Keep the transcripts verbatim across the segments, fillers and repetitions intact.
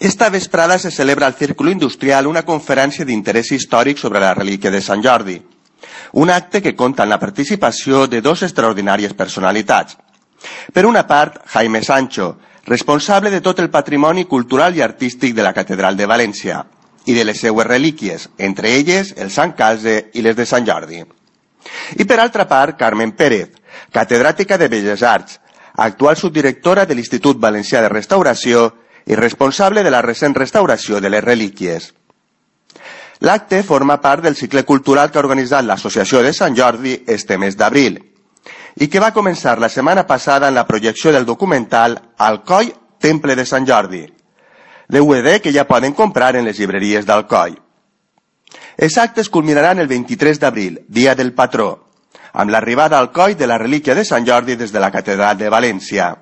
Esta vesprada se celebra al Círculo Industrial una conferència d'interès històric sobre la relíquia de Sant Jordi, un acte que compta amb la participació de dos extraordinàries personalitats. Per una part, Jaime Sancho, responsable de tot el patrimoni cultural i artístic de la Catedral de València i de les seues relíquies, entre elles el Sant Calze i les de Sant Jordi. I per altra part, Carmen Pérez, catedràtica de Belles Arts, actual subdirectora de l'Institut Valencià de Restauració i responsable de la recent restauració de les relíquies. L'acte forma part del cicle cultural que ha organitzat l'Associació de Sant Jordi este mes d'abril i que va començar la setmana passada en la projecció del documental Alcoi, Temple de Sant Jordi, D V D que ja poden comprar en les llibreries d'Alcoi. Els actes culminaran el vint-i-tres d'abril, dia del patró, amb l'arribada al Alcoi de la relíquia de Sant Jordi des de la Catedral de València.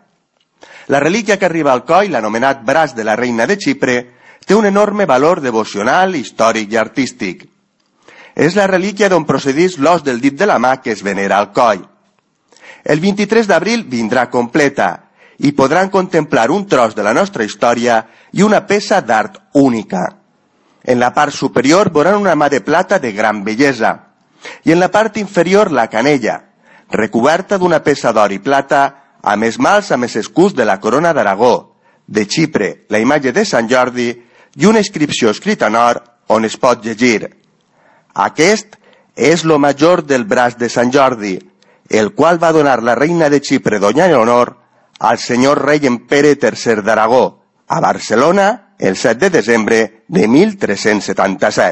La relíquia que arriba al Alcoi, l'anomenat braç de la reina de Xipre, té un enorme valor devocional, històric i artístic. És la relíquia d'on procedís l'os del dit de la mà que es venera al Alcoi. El vint-i-tres d'abril vindrà completa i podran contemplar un tros de la nostra història i una peça d'art única. En la part superior veuran una mà de plata de gran bellesa i en la part inferior la canella, recoberta d'una peça d'or i plata amb esmalts amb els escuts de la corona d'Aragó, de Xipre, la imatge de Sant Jordi i una inscripció escrita en or on es pot llegir: aquest és lo major del braç de Sant Jordi, el qual va donar la reina de Xipre, doña Leonor, al senyor rei en Pere tercer d'Aragó, a Barcelona, el set de desembre de mil tres-cents setanta-set.